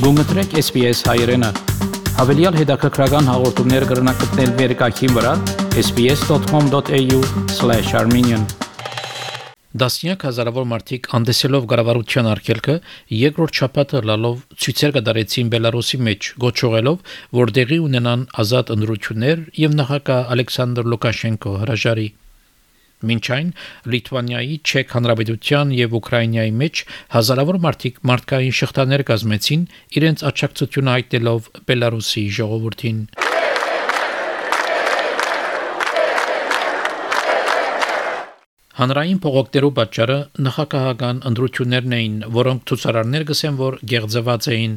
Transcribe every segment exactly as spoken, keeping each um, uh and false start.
Գումտրեք S B S հայրենը։ Հավելյալ հետաքրքրական հաղորդումներ կգրնակցնել վերկայքին վրա s b s dot com dot a u slash armenian Դասնյակ հազարավոր մարդիկ անդեսելով կառավարության արգելքը երկրորդ շաբաթը լալով ցույցեր կդարեցին Բելարուսի մեջ գոչողելով որ դեղի ունենան ազատ ընտրություններ եւ նախագահ Ալեքսանդր Լուկաշենկո հրաժարի Մինչ այն Լիտվանիայի, Չեխ Հանրապետության եւ Ուկրաինայի մեջ հազարավոր մարդիկ մարդկային շղթաներ կազմեցին իրենց աջակցությունը հայտնելով Բելարուսի ժողովրդին Հանրային փողոքներու պատճառը նախագահական ընտրություններն էին, որոնք ցուցարարներ գսեն, որ գեղձված էին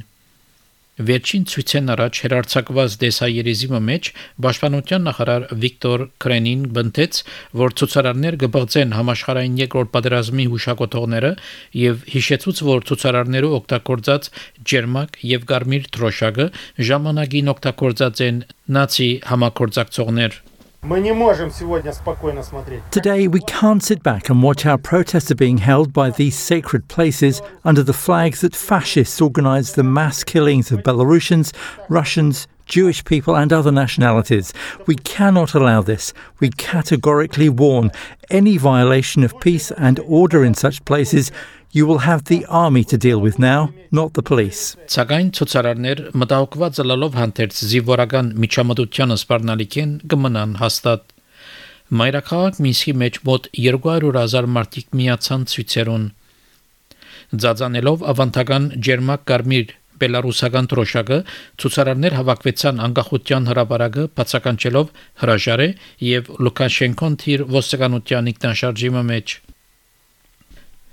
Վերջին ցույցեն առաջ հերարցակված դեսայերիզմի մեջ Պաշտպանության նախարար Վիկտոր Կրենին բնտեց, որ ցուցարարներ կբղծեն համաշխարհային երկրորդ պատերազմի հուշակոթողները եւ հիշեցուց, որ ցուցարարներու օգտագործած ջերմակ եւ կարմիր թրոշակը ժամանակին օգտագործած են նացի համագործակցողներ Мы не можем сегодня спокойно смотреть. Today we can't sit back and watch how protests are being held by these sacred places under the flags that fascists organized the mass killings of Belarusians, Russians, Jewish people and other nationalities. We cannot allow this. We categorically warn any violation of peace and order in such places you will have the army to deal with now, not the police. Սակայն ցուցարարներ մտահոգված լալով հանդերձ զինվորական միջամտությանը սպառնալիքեն կմնան հաստատ Մայրաքաղաք Մինսկի մեջ մոտ երկու հարյուր հազար մարդիկ միացան ցույցերուն Ձածանելով ավանդական ջերմակ կարմիր Բելարուսական թրոշակը ցուցարարներ հավաքվեցան անկախության հրապարակը բացականչելով հրաժարե եւ Լուկաշենկոն թիր ոստիկանության ինքնաշարժի մեջ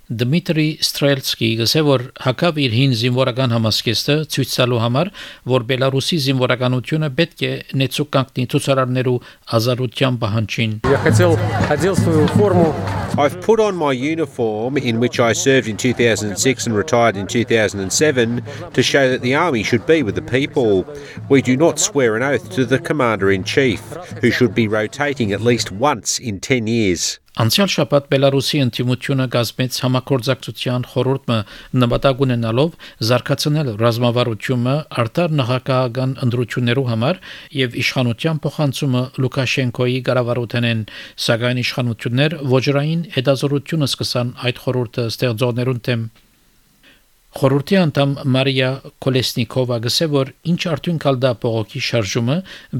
Դմիտրի Ստրելցկի գսե որ հակավ իր հին զինվորական համասկեստը ցույց տալու համար որ Բելարուսի զինվորականությունը պետք է նեցուկ կանգնի ցուցարարներու ազատության պահանջին Я хотел одел свою форму I've put on my uniform in which I served in two thousand six and retired in two thousand seven to show that the army should be with the people. We do not swear an oath to the commander-in-chief, who should be rotating at least once in ten years. Անցյալ շաբաթ Բելարուսի ընդդիմությունը կազմեց համագործակցության խորհուրդը նպատակ ունենալով զարգացնել ռազմավարությունը արտար նախագահական ընտրություններու համար եւ իշխանության փոխանցումը Լուկաշենկոյի կառավարութենեն սակայն իշխանություններ ոչռային հետազոտությունը սկսան այդ խորհուրդը ստեղծողներուն դեմ Խորհրդի անդամ Մարիա Կոլեսնիկովա գսե որ ինչ արդյունք ալդա փողոքի շարժումը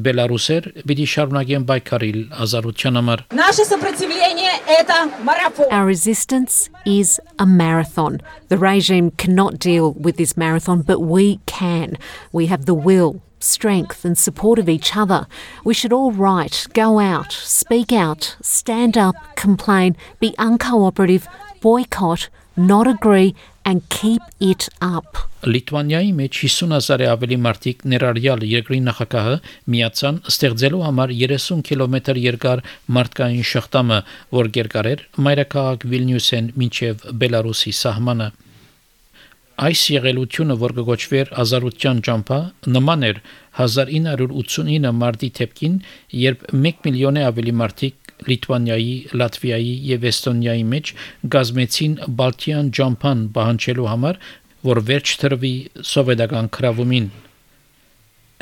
Բելարուսեր պիտի շարունակեն բայկարիլ ազատության համար Наше сопротивление это марафон Our resistance is a marathon. The regime cannot deal with this marathon, but we can. We have the will, strength and support of each other. We should all write, go out, speak out, stand up, complain, be uncooperative, boycott, not agree and keep it up. Լիտվանիայի մեջ հիսուն հազար ավելի մարդիկ ներառյալ երկրի նախագահը միացան ստեղծելու համար երեսուն կիլոմետր երկար մարդկային շղթամը, որ երկար էր մայրաքաղաք Վիլնյուսեն մինչև Բելարուսի սահմանը Այս եղելությունը, որ կոչվեր ազատության ճամփա, նման էր հազար ինը հարյուր ութսունինը մարտի թեփքին, երբ մեկ միլիոնե ավելի մարդիկ Լիտվանիայի, Լատվիայի եւ Էստոնիայի մեջ գազմեցին Բալթյան ճամփան պահանջելու համար, որ վերջ տրվի սովետական քրավումին։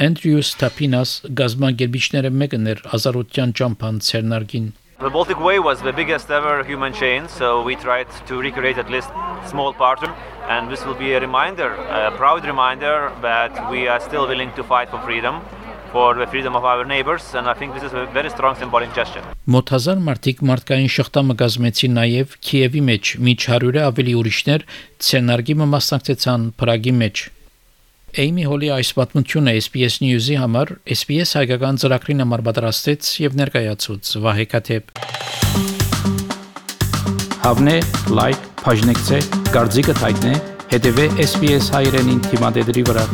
Andrews Tapinas գազագերբիչները մեկն էր ազատության ճամփան ցերնարգին The Baltic Way was the biggest ever human chain, so we tried to recreate at least a small part of it, and this will be a reminder, a proud reminder that we are still willing to fight for freedom, for the freedom of our neighbors, and I think this is a very strong symbolic gesture. Մոտ հազար մարդիկ մարդկային շղթամը գազմեցին նաև Քիևի մեջ, միջ հարյուրը ավելի ուրիշներ ցերնարգի մասնակցեցան Պրագի մեջ։ Էյմի Հոլի այս պատմությունը S B S News-ի համար S B S հայկական ծրագրին համար պատրաստեց եւ ներկայացուց Վահե Կաթեփ Հավնե, լայք, բաժնեկցե, դարձիկը թայտնե, հետեւե S B S հայրենին թիմադեդի վրա